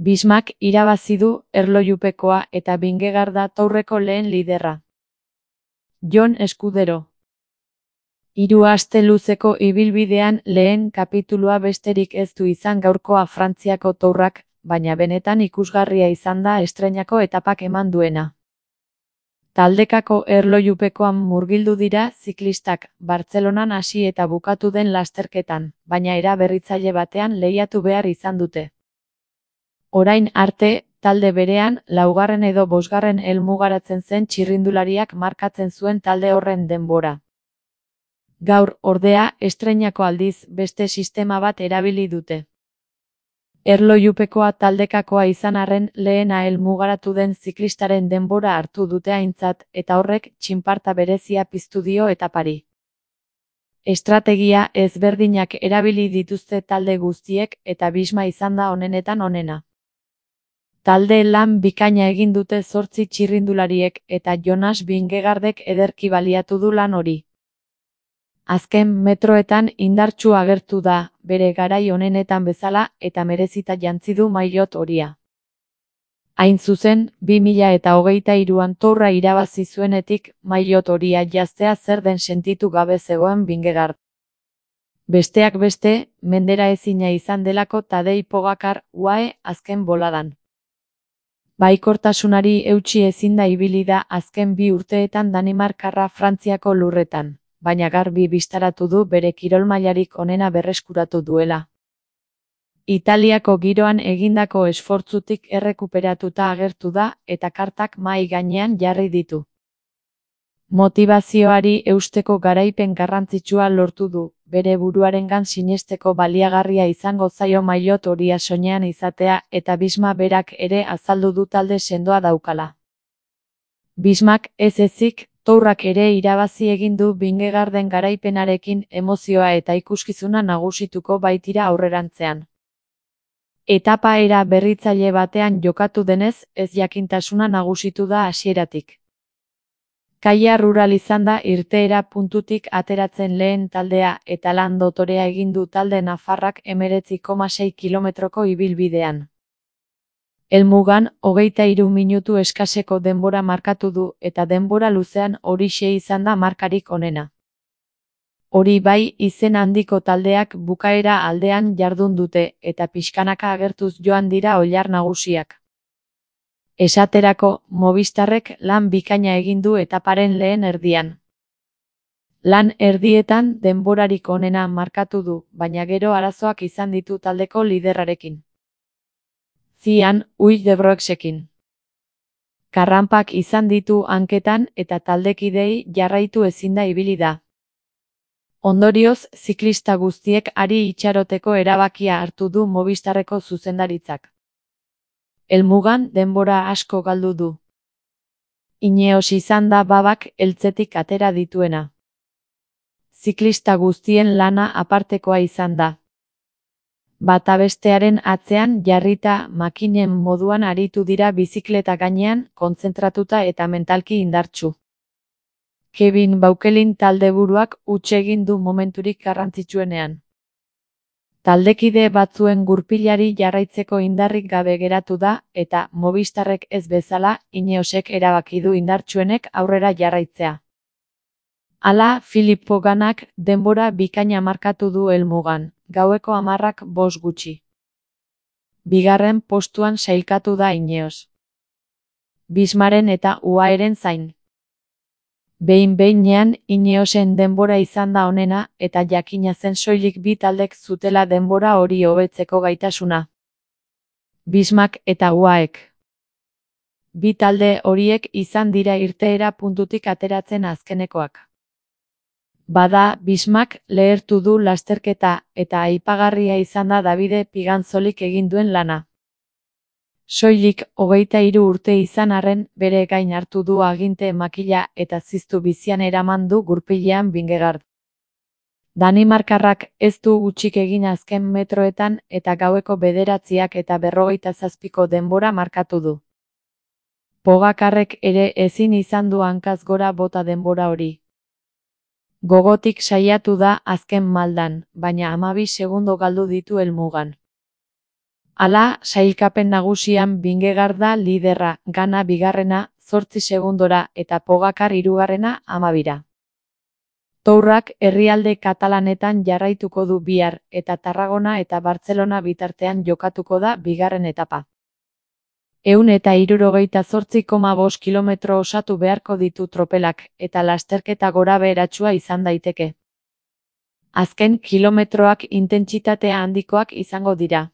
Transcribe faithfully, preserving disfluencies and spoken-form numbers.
Bismak irabazi du erlojupekoa eta Vingegaard da Tourreko lehen liderra. Jon Escudero. Hiru aste luzeko ibilbidean lehen kapitulua besterik ez du izan gaurkoa Frantziako Tourrak, baina benetan ikusgarria izan da estreinako etapak eman duena. Taldekako erlojupekoan murgildu dira ziklistak, Bartzelonan hasi eta bukatu den lasterketan, baina era berritzaile batean lehiatu behar izan dute. Orain arte, talde berean, laugarren edo bosgarren helmugaratzen zen txirrindulariak markatzen zuen talde horren denbora. Gaur, ordea, estreinako aldiz, beste sistema bat erabili dute. Erlojupekoa taldekakoa izan arren lehena helmugaratu den ziklistaren denbora hartu dute aintzat eta horrek txinparta berezia piztu dio etapari. Estrategia ezberdinak erabili dituzte talde guztiek eta Bisma izan da onenetan onena. Talde lan bikaina egin dute zortzi txirrindulariek eta Jonas Vingegaardek ederki baliatu du lan hori. Azken metroetan indartsu agertu da, bere garai onenetan bezala eta merezita jantzi du maillot horia. Hain zuzen, bi mila eta hogeita hiruan Tourra irabazi zuenetik maillot horia jaztea zer den sentitu gabe zegoen Vingegaard. Besteak beste, mendera ezina izan delako Tadej Pogačar U A E azken boladan. Baikortasunari eutsi ezinda ibili da azken bi urteetan Danimarkarra Frantziako lurretan, baina garbi bistaratu du bere kirol mailarik onena berreskuratu duela. Italiako giroan egindako esfortzutik errekuperatuta agertu da eta kartak mahai gainean jarri ditu. Motibazioari eusteko garaipen garrantzitsua lortu du, bere buruarengan sinesteko baliagarria izango zaio maillot horia soinean izatea eta Bisma berak ere azaldu du talde sendoa daukala. Bismak ez ezik, Tourrak ere irabazi egin du Vingegaarden garaipenarekin emozioa eta ikuskizuna nagusituko baitira aurrerantzean. Etapa era berritzaile batean jokatu denez, ez jakintasuna nagusitu da hasieratik. Kaia rural izan da irteera puntutik ateratzen lehen taldea eta lan dotorea egin du talde nafarrak hemeretzi koma sei kilometroko ibilbidean. Helmugan, hogeita hiru minutu eskaseko denbora markatu du eta denbora luzean horixe izan da markarik onena. Hori bai, izen handiko taldeak bukaera aldean jardun dute eta pixkanaka agertuz joan dira oilar nagusiak. Esaterako, Movistarrek lan bikaina egin du etaparen lehen erdian. Lan erdietan denborarik onena markatu du, baina gero arazoak izan ditu taldeko liderrarekin. Zian, Uy de Broeksekin. Karranpak izan ditu hanketan eta taldekidei jarraitu ezinda ibili da. Ondorioz, ziklista guztiek ari itxaroteko erabakia hartu du Movistarreko zuzendaritzak. Helmugan denbora asko galdu du. Ineos izan da babak heltzetik atera dituena. Ziklista guztien lana apartekoa izan da. Bata bestearen atzean jarrita makinen moduan aritu dira bizikleta gainean, kontzentratuta eta mentalki indartsu. Kevin Baukelin taldeburuak huts egin du momenturik garrantzitsuenean. Taldekide batzuen gurpilari jarraitzeko indarrik gabe geratu da eta Movistarrek ez bezala Ineosek erabaki du indartsuenek aurrera jarraitzea. Hala, Filip Poganak denbora bikaina markatu du helmugan, gaueko hamarrak bost gutxi. Bigarren postuan sailkatu da Ineos. Bismaren eta U A Eren zain. Behin-behinean Ineosen denbora izan da onena eta jakina zen soilik bi taldek zutela denbora hori hobetzeko gaitasuna. Bismak eta U A Ek. Bi talde horiek izan dira irteera puntutik ateratzen azkenekoak. Bada, Bismak lehertu du lasterketa eta aipagarria izan da Davide Pigantzolik egin duen lana. Soilik hogeita hiru urte izan arren bere gain hartu du aginte makila eta ziztu bizian eraman du gurpilean Vingegaard. Danimarkarrak ez du gutxik egin azken metroetan eta gaueko bederatziak eta berrogeita zazpiko denbora markatu du. Pogakarrek ere ezin izan du hankaz gora bota denbora hori. Gogotik saiatu da azken maldan, baina hamabi segundo galdu ditu helmugan. Hala, sailkapen nagusian Vingegaard da liderra, Gana bigarrena, zortzi segundora, eta Pogacar hirugarrena, hamabira. Tourrak herrialde katalanetan jarraituko du bihar, eta Tarragona eta Bartzelona bitartean jokatuko da bigarren etapa. Ehun eta hirurogeita zortzi koma bost kilometro osatu beharko ditu tropelak, eta lasterketa gorabeheratsua izan daiteke. Azken kilometroak intentsitatea handikoak izango dira.